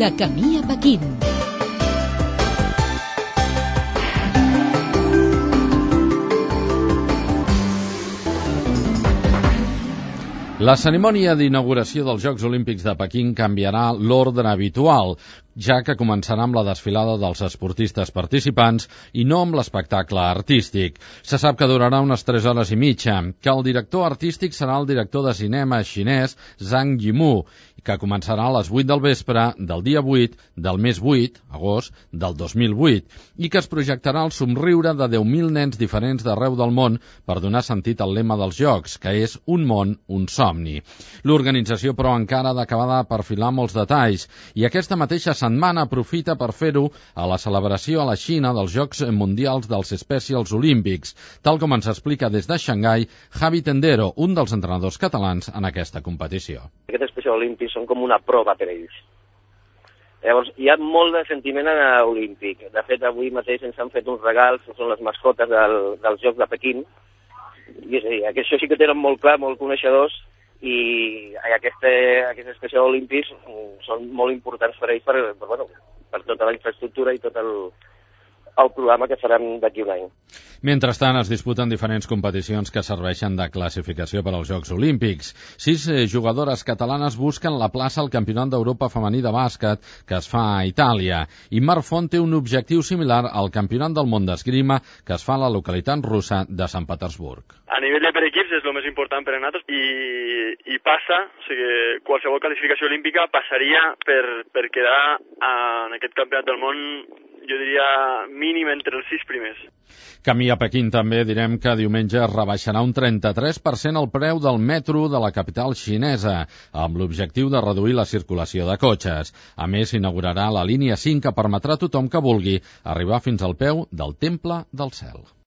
De camí a Pequín. La cerimònia d'inauguració dels Jocs Olímpics de Pequín canviarà l'ordre habitual, ja que començarà amb la desfilada dels esportistes participants i no amb l'espectacle artístic. Se sap que durarà unes 3 hores i mitja, que el director artístic serà el director de cinema xinès Zhang Yimou, que començarà a les 8 del vespre del dia 8 del mes 8, agost, del 2008, i que es projectarà el somriure de 10.000 nens diferents d'arreu del món per donar sentit al lema dels Jocs, que és un món, un somni. L'organització, però, encara ha d'acabar de perfilar molts detalls, i aquesta mateixa setmana aprofita per fer-ho a la celebració a la Xina dels Jocs Mundials dels Specials Olímpics, tal com ens explica des de Xangai Javi Tendero, un dels entrenadors catalans en aquesta competició. Aquests Specials Olímpics són com una prova per ells. Llavors, hi ha molt de sentiment olímpic. De fet, avui mateix ens han fet uns regals, que són les mascotes dels Jocs de Pequín, i és a dir, això sí que tenen molt clar, molt coneixedors, i aquests Specials Olímpics són molt importants per ells per tota la infraestructura i tot el programa que faran d'aquí un any. Mentrestant, es disputen diferents competicions que serveixen de classificació per als Jocs Olímpics. 6 jugadores catalanes busquen la plaça al Campionat d'Europa femení de bàsquet que es fa a Itàlia. I Mar Font té un objectiu similar al Campionat del món d'esgrima que es fa a la localitat russa de Sant Petersburg. A nivell de per equips és el més important per a nosaltres i passa, o sigui, qualsevol classificació olímpica passaria per quedar en aquest Campionat del món, jo diria mínim entre els 6 primers. Camí a Pequín també direm que diumenge es rebaixarà un 33% el preu del metro de la capital xinesa, amb l'objectiu de reduir la circulació de cotxes. A més, s'inaugurarà la línia 5 que permetrà a tothom que vulgui arribar fins al peu del Temple del Cel.